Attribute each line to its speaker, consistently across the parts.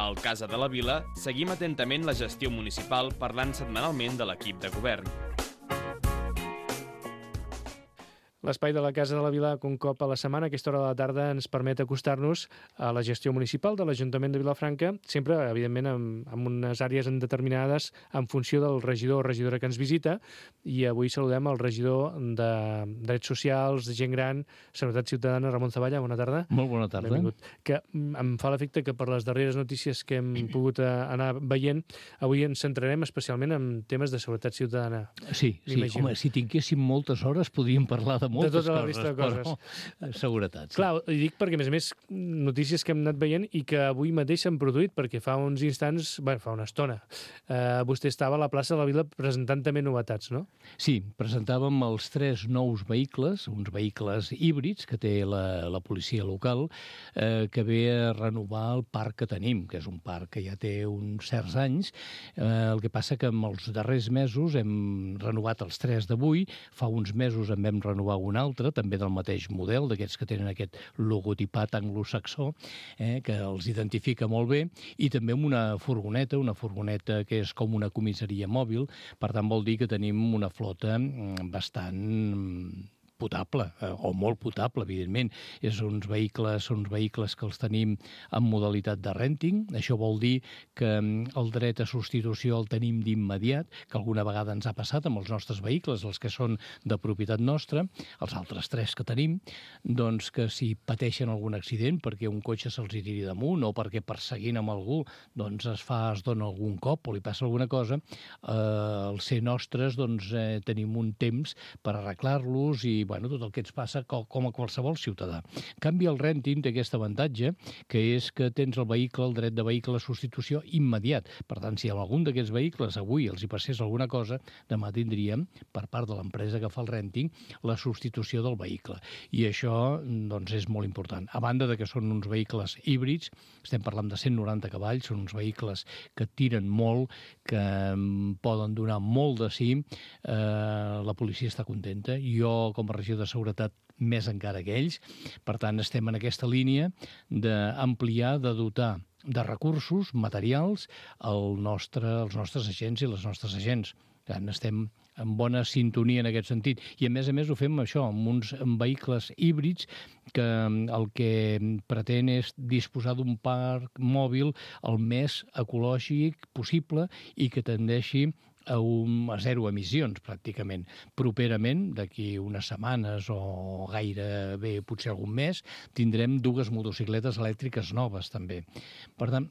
Speaker 1: Al Casa de la Vila seguim atentament la gestió municipal parlant setmanalment de l'equip de govern.
Speaker 2: L'espai de la Casa de la Vila, un cop a la setmana, a aquesta hora de la tarda, ens permet acostar-nos a la gestió municipal de l'Ajuntament de Vilafranca, sempre, evidentment, amb unes àrees determinades en funció del regidor o regidora que ens visita, i avui saludem el regidor de Drets Socials, de Gent Gran, Seguretat Ciutadana, Ramon Zavalla. Bona tarda.
Speaker 3: Molt bona tarda.
Speaker 2: Benvingut. Que em fa l'efecte que per les darreres notícies que hem pogut anar veient, avui ens centrarem especialment en temes de seguretat ciutadana.
Speaker 3: Sí, home, si tinguéssim moltes hores podríem parlar de moltes
Speaker 2: tota la
Speaker 3: coses,
Speaker 2: resta de coses.
Speaker 3: Però seguretat. Sí.
Speaker 2: Clar, ho dic perquè, a més, notícies que hem anat veient i que avui mateix s'han produït, perquè fa uns instants, fa una estona, vostè estava a la plaça de la Vila presentant també novetats, no?
Speaker 3: Sí, presentàvem els 3 nous vehicles, uns vehicles híbrids que té la policia local, que ve a renovar el parc que tenim, que és un parc que ja té uns certs anys. El que passa que en els darrers mesos hem renovat els 3 d'avui, fa uns mesos en vam renovar un altre, també del mateix model, d'aquests que tenen aquest logotipat anglosaxó, que els identifica molt bé, i també amb una furgoneta que és com una comissaria mòbil, per tant vol dir que tenim una flota bastant potable, o molt potable, evidentment. Són uns vehicles que els tenim en modalitat de renting. Això vol dir que el dret a substitució el tenim d'immediat, que alguna vegada ens ha passat amb els nostres vehicles, els que són de propietat nostra, els altres 3 que tenim, doncs que si pateixen algun accident perquè un cotxe se'ls tiri damunt o perquè perseguint amb algú doncs es dona algun cop o li passa alguna cosa, al ser nostres doncs tenim un temps per arreglar-los i tot el que ens passa com a qualsevol ciutadà. En canvi, el renting té aquest avantatge, que és que tens el dret de vehicle a substitució immediat. Per tant, si a algun d'aquests vehicles avui els hi passés alguna cosa, demà tindríem, per part de l'empresa que fa el renting, la substitució del vehicle. I això, doncs, és molt important. A banda de que són uns vehicles híbrids, estem parlant de 190 cavalls, són uns vehicles que tiren molt, que poden donar molt de sí, la policia està contenta. Jo, com a regidor de seguretat, més encara que ells. Per tant, estem en aquesta línia d'ampliar, de dotar de recursos materials els nostres agents i les nostres agents. Estem en bona sintonia en aquest sentit. I, a més, ho fem això, amb uns vehicles híbrids que el que pretén és disposar d'un parc mòbil el més ecològic possible i que tendeixi a 0 emissions, pràcticament. Properament, d'aquí unes setmanes o gairebé potser algun mes, tindrem 2 motocicletes elèctriques noves, també. Per tant,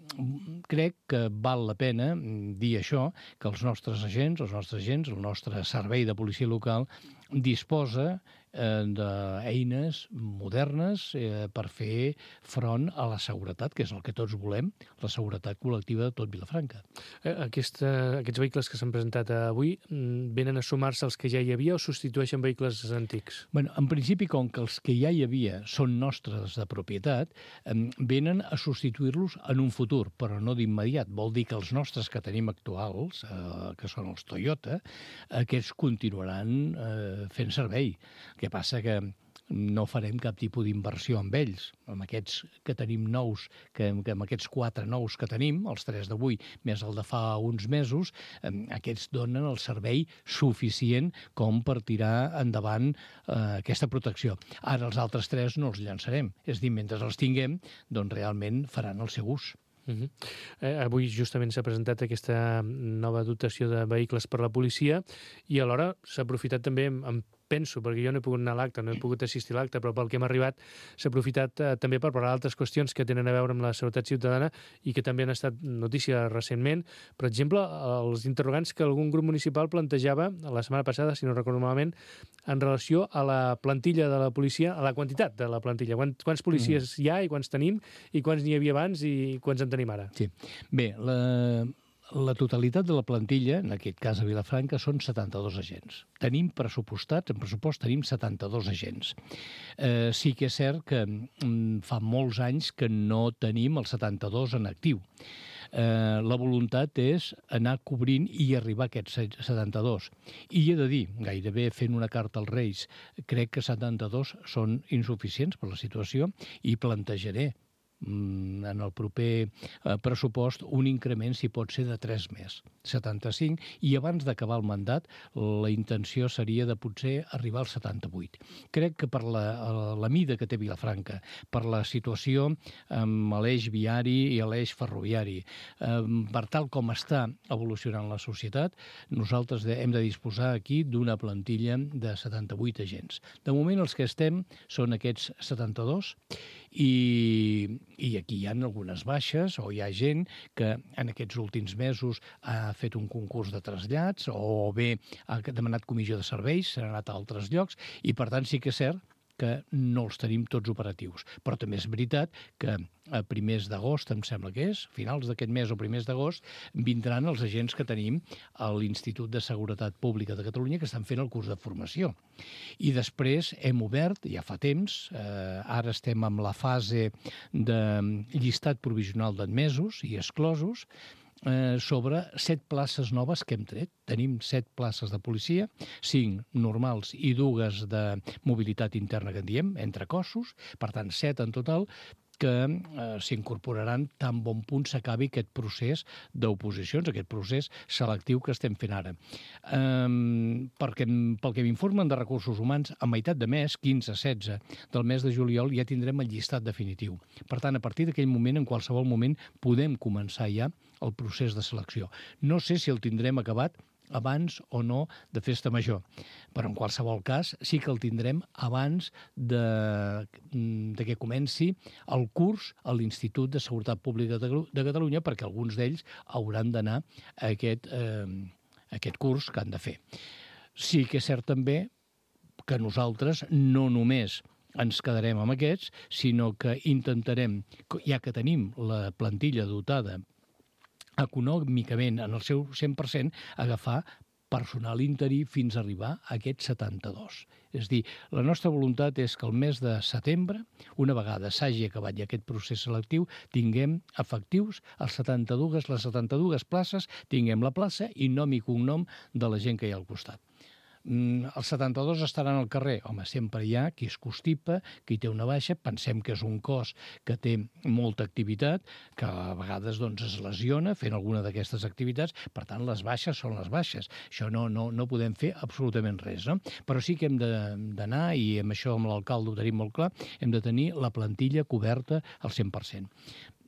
Speaker 3: crec que val la pena dir això, que els nostres agents, el nostre servei de policia local, disposa d'eines modernes per fer front a la seguretat, que és el que tots volem, la seguretat col·lectiva de tot Vilafranca.
Speaker 2: Aquests vehicles que s'han presentat avui venen a sumar-se als que ja hi havia o substitueixen vehicles antics?
Speaker 3: En principi, com que els que ja hi havia són nostres de propietat, venen a substituir-los en un futur, però no d'immediat. Vol dir que els nostres que tenim actuals, que són els Toyota, aquests continuaran fent servei. El que passa que no farem cap tipus d'inversió amb ells. Amb aquests que tenim nous, amb aquests 4 nous que tenim, els 3 d'avui més el de fa uns mesos, aquests donen el servei suficient com per tirar endavant aquesta protecció. Ara els altres 3 no els llançarem. És dir, mentre els tinguem, doncs realment faran el seu ús.
Speaker 2: Avui justament s'ha presentat aquesta nova dotació de vehicles per la policia i alhora s'ha aprofitat també penso, perquè jo no he pogut anar a l'acte, no he pogut assistir a l'acte, però pel que hem arribat s'ha aprofitat també per parlar d'altres qüestions que tenen a veure amb la seguretat ciutadana i que també han estat notícia recentment. Per exemple, els interrogants que algun grup municipal plantejava la setmana passada, si no recordo malament, en relació a la plantilla de la policia, a la quantitat de la plantilla. Quants policies hi ha i quants tenim i quants n'hi havia abans i quants en tenim ara?
Speaker 3: Sí. Bé, la totalitat de la plantilla, en aquest cas a Vilafranca, són 72 agents. Tenim pressupostats, en pressupost tenim 72 agents. Sí que és cert que fa molts anys que no tenim els 72 en actiu. La voluntat és anar cobrint i arribar a aquests 72. I he de dir, gairebé fent una carta als Reis, crec que 72 són insuficients per la situació i plantejaré en el proper pressupost un increment, si pot ser, de 3 més, 75, i abans d'acabar el mandat la intenció seria de potser arribar als 78. Crec que per la mida que té Vilafranca, per la situació amb l'eix viari i l'eix ferroviari, per tal com està evolucionant la societat, nosaltres hem de disposar aquí d'una plantilla de 78 agents. De moment els que estem són aquests 72 i aquí hi ha algunes baixes o hi ha gent que en aquests últims mesos ha fet un concurs de trasllats o bé ha demanat comissió de serveis, s'ha anat a altres llocs i per tant sí que és cert que no els tenim tots operatius. Però també és veritat que a primers d'agost, em sembla que és, finals d'aquest mes o primers d'agost, vindran els agents que tenim a l'Institut de Seguretat Pública de Catalunya que estan fent el curs de formació. I després hem obert, ja fa temps, ara estem en la fase de llistat provisional d'admesos i exclosos, sobre 7 places noves que hem tret. Tenim 7 places de policia, 5 normals i 2 de mobilitat interna que en diem, entre cossos, per tant 7 en total, que s'incorporaran tan bon punt s'acabi aquest procés d'oposicions, aquest procés selectiu que estem fent ara. Pel que m'informen de recursos humans, a meitat de mes, 15-16 del mes de juliol, ja tindrem el llistat definitiu. Per tant, a partir d'aquell moment, en qualsevol moment, podem començar ja el procés de selecció. No sé si el tindrem acabat abans o no de Festa Major. Però en qualsevol cas sí que el tindrem abans de que comenci el curs a l'Institut de Seguretat Pública de Catalunya, perquè alguns d'ells hauran d'anar a aquest curs que han de fer. Sí que és cert també que nosaltres no només ens quedarem amb aquests, sinó que intentarem, ja que tenim la plantilla dotada econòmicament en el seu 100%, agafar personal interí fins a arribar a aquests 72. És a dir, la nostra voluntat és que el mes de setembre, una vegada s'hagi acabat ja aquest procés selectiu, tinguem efectius les 72 places, tinguem la plaça i nom i cognom de la gent que hi ha al costat. Els 72 estaran al carrer. Home, sempre hi ha qui es constipa, qui té una baixa. Pensem que és un cos que té molta activitat, que a vegades es lesiona fent alguna d'aquestes activitats. Per tant, les baixes són les baixes. Això no podem fer absolutament res, no? Però sí que hem d'anar, i amb això amb l'alcalde ho tenim molt clar, hem de tenir la plantilla coberta al 100%.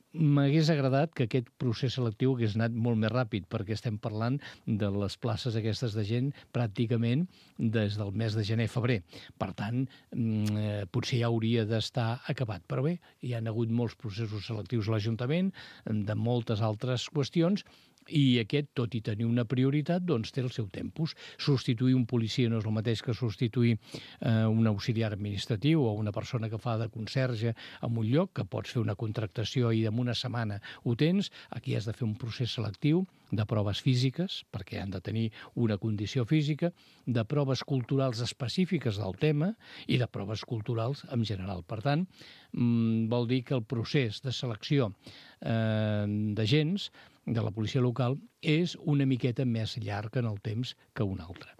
Speaker 3: M'hagués agradat que aquest procés selectiu hagués anat molt més ràpid, perquè estem parlant de les places aquestes de gent pràcticament des del mes de gener-febrer. Per tant, potser ja hauria d'estar acabat. Però bé, hi ha hagut molts processos selectius a l'Ajuntament, de moltes altres qüestions, i aquest, tot i tenir una prioritat, té el seu tempus. Substituir un policia no és el mateix que substituir un auxiliar administratiu o una persona que fa de conserge en un lloc, que pots fer una contractació i en una setmana ho tens. Aquí has de fer un procés selectiu de proves físiques, perquè han de tenir una condició física, de proves culturals específiques del tema i de proves culturals en general. Per tant, vol dir que el procés de selecció d'agents de la policia local és una miqueta més llarg en el temps que un altre.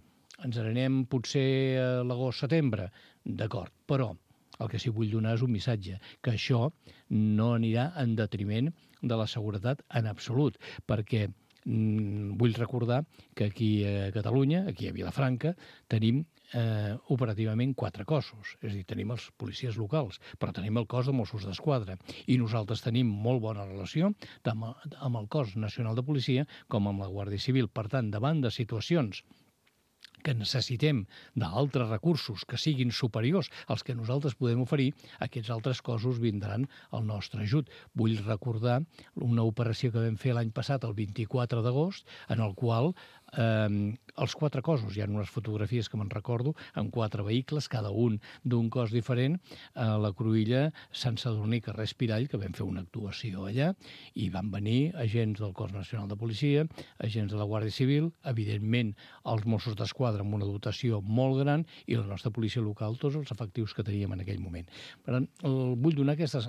Speaker 3: Ens n'anem potser a l'agost-setembre, d'acord, però el que sí vull donar és un missatge, que això no anirà en detriment de la seguretat en absolut, perquè vull recordar que aquí a Catalunya, aquí a Vilafranca, tenim operativament 4 cossos. És a dir, tenim els policies locals, però tenim el cos de Mossos d'Esquadra. I nosaltres tenim molt bona relació tant amb el cos nacional de policia com amb la Guàrdia Civil. Per tant, davant de situacions que necessitem d'altres recursos que siguin superiors als que nosaltres podem oferir, aquests altres cossos vindran al nostre ajut. Vull recordar una operació que vam fer l'any passat, el 24 d'agost, en el qual els 4 cossos, hi ha unes fotografies que me'n recordo, amb 4 vehicles, cada un d'un cos diferent, a la Cruïlla, Sant Sadurní, carrer Espirall, que vam fer una actuació allà, i van venir agents del Cos Nacional de Policia, agents de la Guàrdia Civil, evidentment els Mossos d'Esquadra amb una dotació molt gran, i la nostra policia local, tots els efectius que teníem en aquell moment. Per tant, vull donar aquesta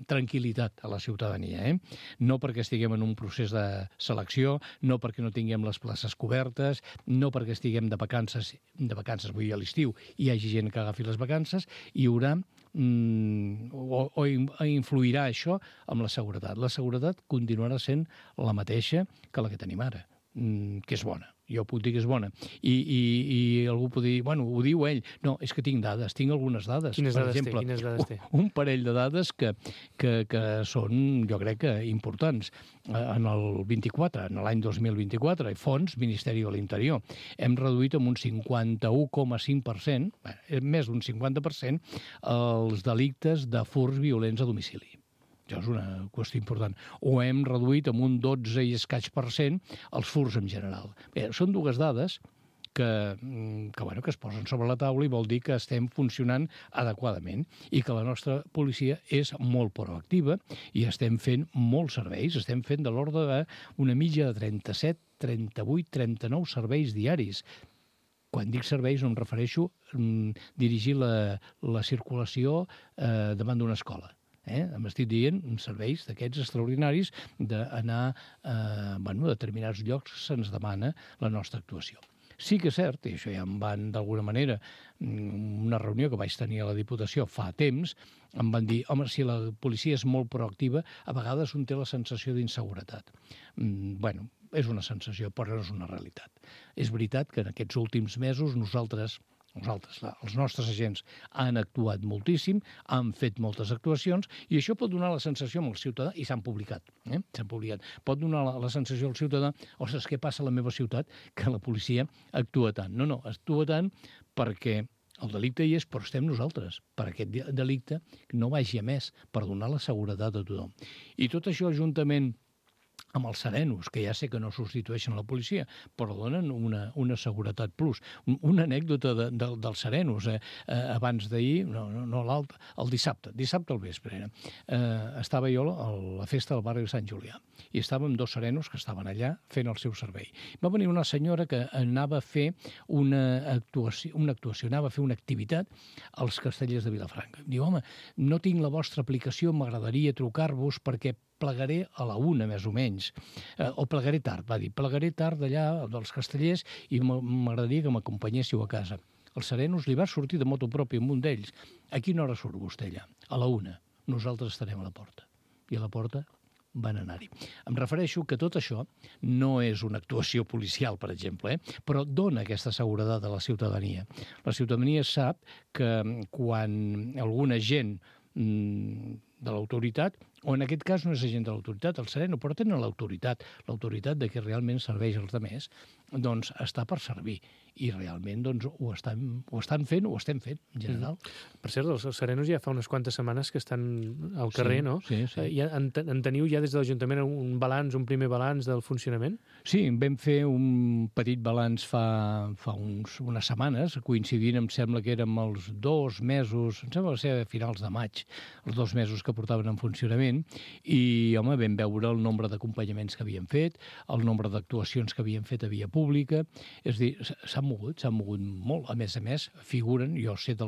Speaker 3: tranquil·litat a la ciutadania, no perquè estiguem en un procés de selecció, no perquè no tinguem les places cobertes, no perquè estiguem de vacances, vull dir a l'estiu, hi hagi gent que agafi les vacances, hi haurà o influirà això amb la seguretat? La seguretat continuarà sent la mateixa que la que tenim ara, que és bona. Jo puc dir que és bona. I algú pot dir, bueno, ho diu ell. No, és que tinc dades, tinc algunes dades.
Speaker 2: Quines dades
Speaker 3: per exemple,
Speaker 2: té? Quines dades té?
Speaker 3: Un parell de dades que són, jo crec que importants. En el 24, en l'any 2024, fons Ministeri de l'Interior, hem reduït amb un 51,5%, més d'un 50%, els delictes de furts violents a domicili. Això és una qüestió important. O hem reduït amb un 12 i escaig % els furts en general. Bé, són dues dades que es posen sobre la taula i vol dir que estem funcionant adequadament i que la nostra policia és molt proactiva i estem fent molts serveis. Estem fent de l'ordre d'una mitja de 37, 38, 39 serveis diaris. Quan dic serveis no em refereixo a dirigir la circulació davant d'una escola. M'estic dient serveis d'aquests extraordinaris d'anar a determinats llocs que se'ns demana la nostra actuació. Sí que és cert, i això ja em van d'alguna manera, una reunió que vaig tenir a la Diputació fa temps, em van dir, home, si la policia és molt proactiva, a vegades un té la sensació d'inseguretat. Bueno, és una sensació, però no és una realitat. És veritat que en aquests últims mesos nosaltres, els nostres agents han actuat moltíssim, han fet moltes actuacions i això pot donar la sensació al ciutadà, i s'han publicat, pot donar la sensació al ciutadà, ostres, què passa a la meva ciutat que la policia actua tant? No, actua tant perquè el delicte hi és, però estem nosaltres, per aquest delicte no vagi a més, per donar la seguretat a tothom. I tot això juntament amb els serenos, que ja sé que no substitueixen la policia, però donen una seguretat plus. Una anècdota dels serenos. Abans d'ahir, no l'altre, el dissabte al vespre, estava jo a la festa del barri de Sant Julià i estàvem dos serenos que estaven allà fent el seu servei. Va venir una senyora que anava a fer una actuació, anava a fer una activitat als Castellers de Vilafranca. Diu, home, no tinc la vostra aplicació, m'agradaria trucar-vos perquè plegaré a la 1, més o menys, o plegaré tard, va dir, plegaré tard d'allà dels Castellers i m'agradaria que m'acompanyéssiu a casa. Els serenos li va sortir de moto pròpia amb un d'ells. A quina hora surt vostè allà? A la 1. Nosaltres estarem a la porta. I a la porta van anar-hi. Em refereixo que tot això no és una actuació policial, per exemple, però dona aquesta seguretat a la ciutadania. La ciutadania sap que quan algun agent de l'autoritat, o en aquest cas no és agent de l'autoritat, el sereno, però tenen l'autoritat de que realment serveix als altres, doncs està per servir. I realment doncs, ho estan fent, ho estem fent, en general.
Speaker 2: Per cert, els serenos ja fa unes quantes setmanes que estan al carrer, no?
Speaker 3: Sí.
Speaker 2: En teniu ja des de l'Ajuntament un primer balanç del funcionament?
Speaker 3: Sí, vam fer un petit balanç fa unes setmanes, coincidint, em sembla que érem els 2 mesos, em sembla que va ser a finals de maig, els 2 mesos que portaven en funcionament, i, home, vam veure el nombre d'acompanyaments que havien fet, el nombre d'actuacions que havien fet a via pública, és a dir, s'han mogut molt. A més, figuren, jo sé de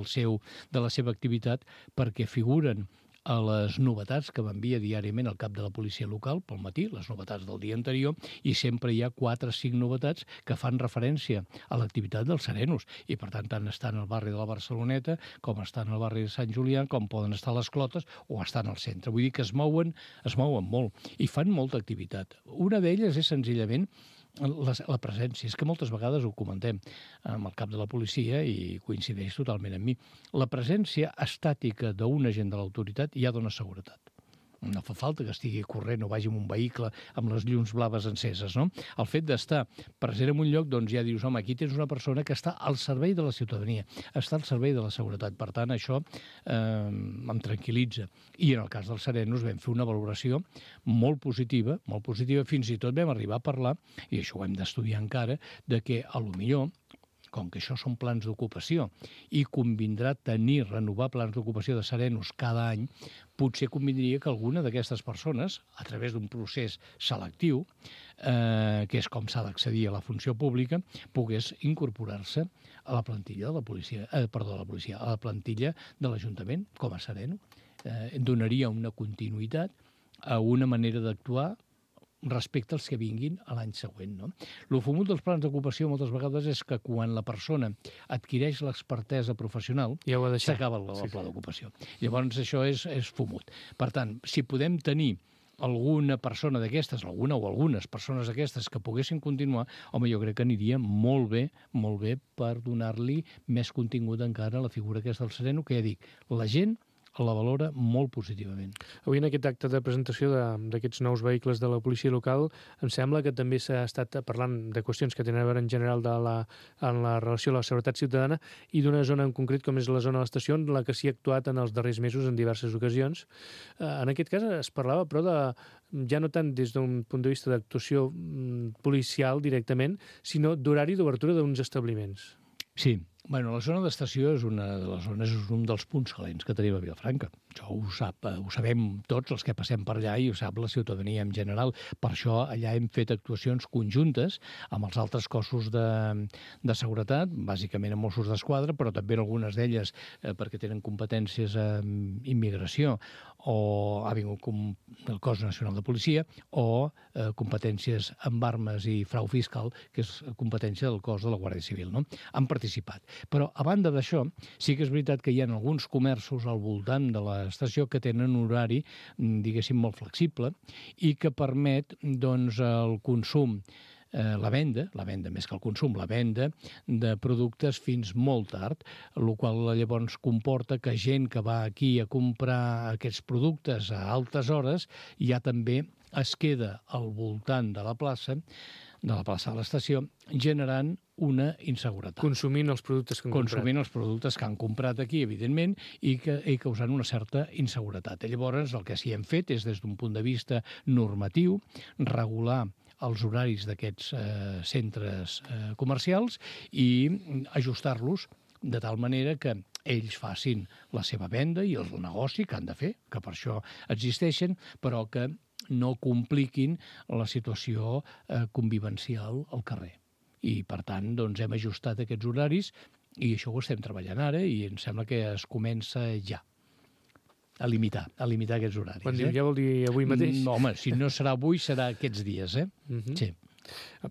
Speaker 3: la seva activitat, perquè figuren a les novetats que m'envia diàriament el cap de la policia local pel matí, les novetats del dia anterior, i sempre hi ha 4 o 5 novetats que fan referència a l'activitat dels serenos. I, per tant estan al barri de la Barceloneta, com estan al barri de Sant Julià, com poden estar a les Clotes o estan al centre. Vull dir que es mouen molt i fan molta activitat. Una d'elles és senzillament la presència. És que moltes vegades ho comentem amb el cap de la policia i coincideix totalment amb mi. La presència estàtica d'un agent de l'autoritat ja dona seguretat. No fa falta que estigui corrent o vagi amb un vehicle amb les llums blaves enceses, no? El fet d'estar present en un lloc, doncs ja dius, home, aquí tens una persona que està al servei de la ciutadania, està al servei de la seguretat. Per tant, això em tranquil·litza. I en el cas dels serenos vam fer una valoració molt positiva, fins i tot vam arribar a parlar, i això ho hem d'estudiar encara, de que a lo millor, com que això són plans d'ocupació i convindrà renovar plans d'ocupació de serenos cada any, potser convindria que alguna d'aquestes persones, a través d'un procés selectiu, que és com s'ha d'accedir a la funció pública, pogués incorporar-se a la plantilla de la policia, a la plantilla de l'Ajuntament com a sereno. Donaria una continuïtat a una manera d'actuar respecte als que vinguin a l'any següent. No? El fumut dels plans d'ocupació moltes vegades és que quan la persona adquireix l'expertesa professional
Speaker 2: ja
Speaker 3: s'acaba el pla d'ocupació. Llavors això és fumut. Per tant, si podem tenir alguna persona d'aquestes, alguna o algunes persones d'aquestes que poguessin continuar, home, jo crec que aniria molt bé per donar-li més contingut encara a la figura aquesta del sereno, que ja dic, la gent la valora molt positivament.
Speaker 2: Avui en aquest acte de presentació d'aquests nous vehicles de la policia local em sembla que també s'ha estat parlant de qüestions que tenen a veure en general en la relació a la seguretat ciutadana i d'una zona en concret com és la zona de l'estació en la que s'hi ha actuat en els darrers mesos en diverses ocasions. En aquest cas es parlava però ja no tant des d'un punt de vista d'actuació policial directament, sinó d'horari d'obertura d'uns establiments.
Speaker 3: Sí. Bueno, la zona d'estació és una de les zones, és un dels punts calents que tenim a Vilafranca. Això ho sabem tots els que passem per allà i ho sap la ciutadania en general. Per això allà hem fet actuacions conjuntes amb els altres cossos de seguretat, bàsicament amb Mossos d'Esquadra, però també algunes d'elles perquè tenen competències en immigració o ha vingut el Cos Nacional de Policia o competències amb armes i frau fiscal, que és competència del cos de la Guàrdia Civil. No? Han participat. Però, a banda d'això, sí que és veritat que hi ha alguns comerços al voltant de l'estació que tenen un horari, diguéssim, molt flexible i que permet, doncs, el consum, la venda més que el consum, la venda de productes fins molt tard, el qual llavors comporta que gent que va aquí a comprar aquests productes a altes hores ja també es queda al voltant de la plaça de l'estació, generant una inseguretat.
Speaker 2: Consumint els productes que han comprat.
Speaker 3: Consumint els productes que han comprat aquí, evidentment, i causant una certa inseguretat. Llavors, el que sí hem fet és, des d'un punt de vista normatiu, regular els horaris d'aquests centres comercials i ajustar-los de tal manera que ells facin la seva venda i el negoci que han de fer, que per això existeixen, però que no compliquin la situació convivencial al carrer. I, per tant, doncs, hem ajustat aquests horaris i això ho estem treballant ara i em sembla que es comença ja a limitar aquests horaris.
Speaker 2: Quan diu ja vol dir avui mateix?
Speaker 3: No, home, si no serà avui, serà aquests dies, Sí.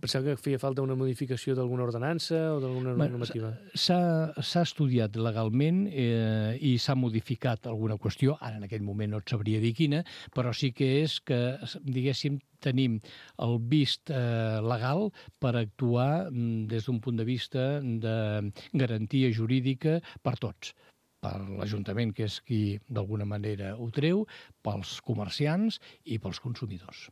Speaker 2: Pensava que feia falta una modificació d'alguna ordenança o d'alguna normativa.
Speaker 3: S'ha estudiat legalment i s'ha modificat alguna qüestió, ara en aquell moment no et sabria dir quina, però sí que és que, diguéssim, tenim el vist legal per actuar des d'un punt de vista de garantia jurídica per tots, per l'Ajuntament, que és qui d'alguna manera ho treu, pels comerciants i pels consumidors.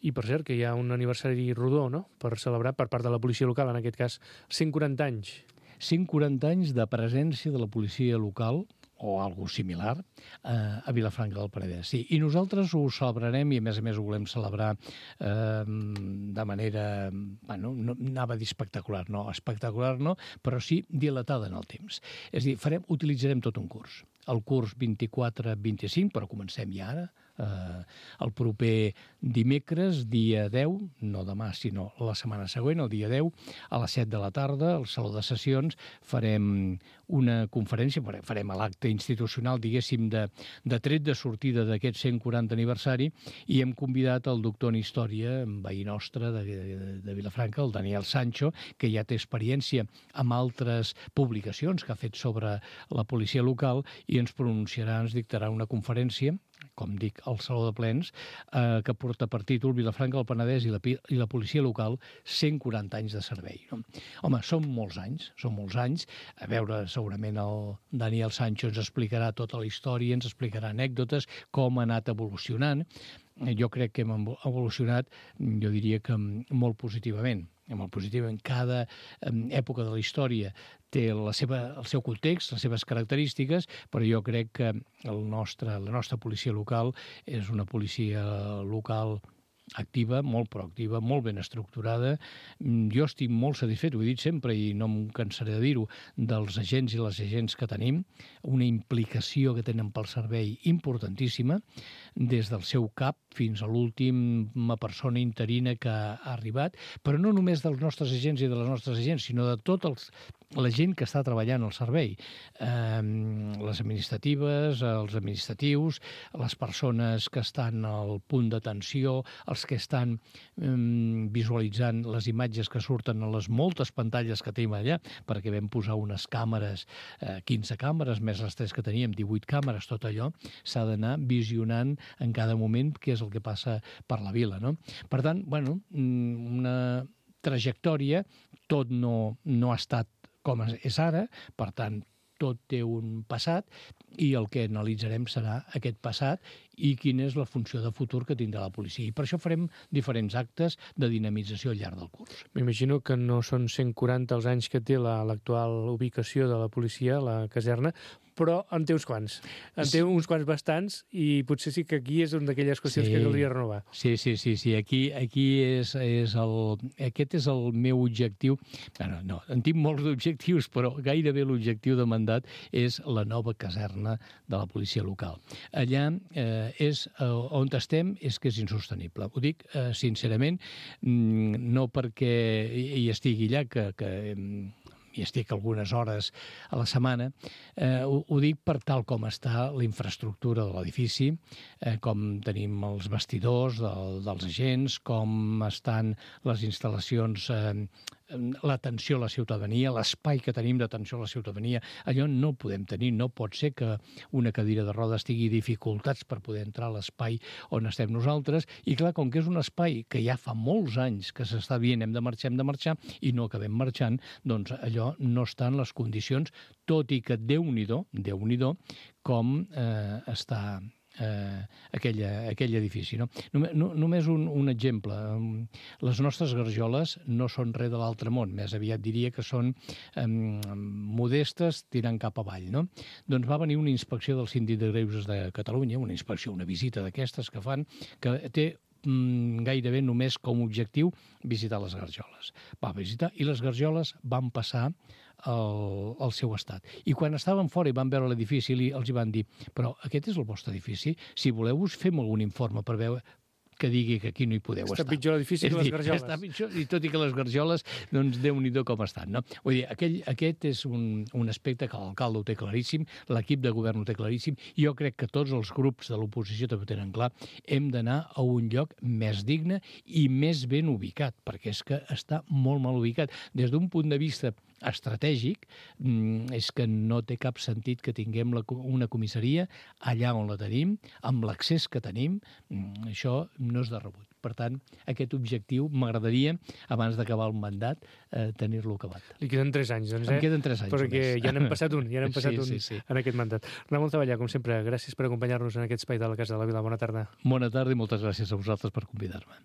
Speaker 2: I per cert, que hi ha un aniversari rodó, no?, per celebrar per part de la policia local, en aquest cas 140 anys.
Speaker 3: 140 anys de presència de la policia local, o algo similar, a Vilafranca del Penedès. Sí, i nosaltres ho celebrarem i, a més ho volem celebrar de manera, bueno, no anava a dir espectacular no, però sí dilatada en el temps. És a dir, utilitzarem tot un curs. El curs 24-25, però comencem ja ara, el proper dimecres, dia 10, no demà, sinó la setmana següent, el dia 10, a les 7 de la tarda, al Saló de Sessions, farem una conferència, farem l'acte institucional, diguéssim, de tret de sortida d'aquest 140 aniversari, i hem convidat el doctor en Història, veí nostre de Vilafranca, el Daniel Sancho, que ja té experiència amb altres publicacions que ha fet sobre la policia local, i ens pronunciarà, ens dictarà una conferència, com dic, al Saló de Plens, que porta per títol Vilafranca del Penedès i la policia local, 140 anys de servei. No? Home, són molts anys. A veure, segurament el Daniel Sancho ens explicarà tota la història, ens explicarà anècdotes, com ha anat evolucionant. Jo crec que hem evolucionat, jo diria que molt positivament. Cada època de la història té el seu context, les seves característiques, però jo crec que la nostra policia local és una policia local activa, molt proactiva, molt ben estructurada. Jo estic molt satisfet, ho he dit sempre i no em cansaré de dir-ho, dels agents i les agents que tenim, una implicació que tenen pel servei importantíssima, des del seu cap fins a l'última persona interina que ha arribat, però no només dels nostres agents i de les nostres agents, sinó de tots la gent que està treballant al servei, les administratives, els administratius, les persones que estan al punt d'atenció, els que estan visualitzant les imatges que surten a les moltes pantalles que tenim allà, perquè vam posar unes càmeres, 15 càmeres, més les 3 que teníem, 18 càmeres, tot allò s'ha d'anar visionant en cada moment què és el que passa per la vila, no? Per tant, bueno, una trajectòria, tot no ha estat com és ara, per tant, tot té un passat i el que analitzarem serà aquest passat i quina és la funció de futur que tindrà la policia. I per això farem diferents actes de dinamització al llarg del curs.
Speaker 2: M'imagino que no són 140 els anys que té l'actual ubicació de la policia, la caserna, però en té uns quants. En té uns quants bastants i potser sí que aquí és una d'aquelles qüestions que caldria renovar.
Speaker 3: Sí. Aquí aquest és el meu objectiu. No, en tinc molts objectius, però gairebé l'objectiu de mandat és la nova caserna de la policia local. Allà on estem és que és insostenible. Ho dic sincerament, no perquè hi estigui allà, que hi estic algunes hores a la setmana, ho dic per tal com està la infraestructura de l'edifici, com tenim els vestidors dels agents, com estan les instal·lacions, l'atenció a la ciutadania, l'espai que tenim d'atenció a la ciutadania. Allò no podem tenir, no pot ser que una cadira de rodes tingui dificultats per poder entrar a l'espai on estem nosaltres, i clar, com que és un espai que ja fa molts anys que s'està dient hem de marxar, i no acabem marxant, doncs allò no està en les condicions, tot i que Déu-n'hi-do com està aquell edifici. No? Només un exemple. Les nostres garjoles no són res de l'altre món, més aviat diria que són modestes tirant cap avall. No? Doncs va venir una inspecció del Síndic de Greuges de Catalunya, una inspecció, una visita d'aquestes que fan, que té gairebé només com a objectiu visitar les garjoles. Va visitar i les garjoles van passar al seu estat. I quan estaven fora i van veure l'edifici, els hi van dir, però aquest és el vostre edifici? Si voleu, us fem algun informe per veure que digui que aquí no hi podeu estar.
Speaker 2: Està pitjor l'edifici que les garjoles.
Speaker 3: Està pitjor, i tot i que les garjoles, doncs Déu-n'hi-do com estan, no? Vull dir, aquest és un aspecte que l'alcalde ho té claríssim, l'equip de govern ho té claríssim, i jo crec que tots els grups de l'oposició també ho tenen clar, hem d'anar a un lloc més digne i més ben ubicat, perquè és que està molt mal ubicat. Des d'un punt de vista estratègic, és que no té cap sentit que tinguem una comissaria allà on la tenim, amb l'accés que tenim, això no és de rebut. Per tant, aquest objectiu m'agradaria, abans d'acabar el mandat, tenir-lo acabat.
Speaker 2: Li queden 3 anys, doncs,
Speaker 3: Em queden 3 anys
Speaker 2: perquè
Speaker 3: només.
Speaker 2: ja n'hem passat un, en aquest mandat. Ramon Taballà, com sempre, gràcies per acompanyar-nos en aquest espai de la Casa de la Vila. Bona tarda.
Speaker 3: Bona tarda i moltes gràcies a vosaltres per convidar-me.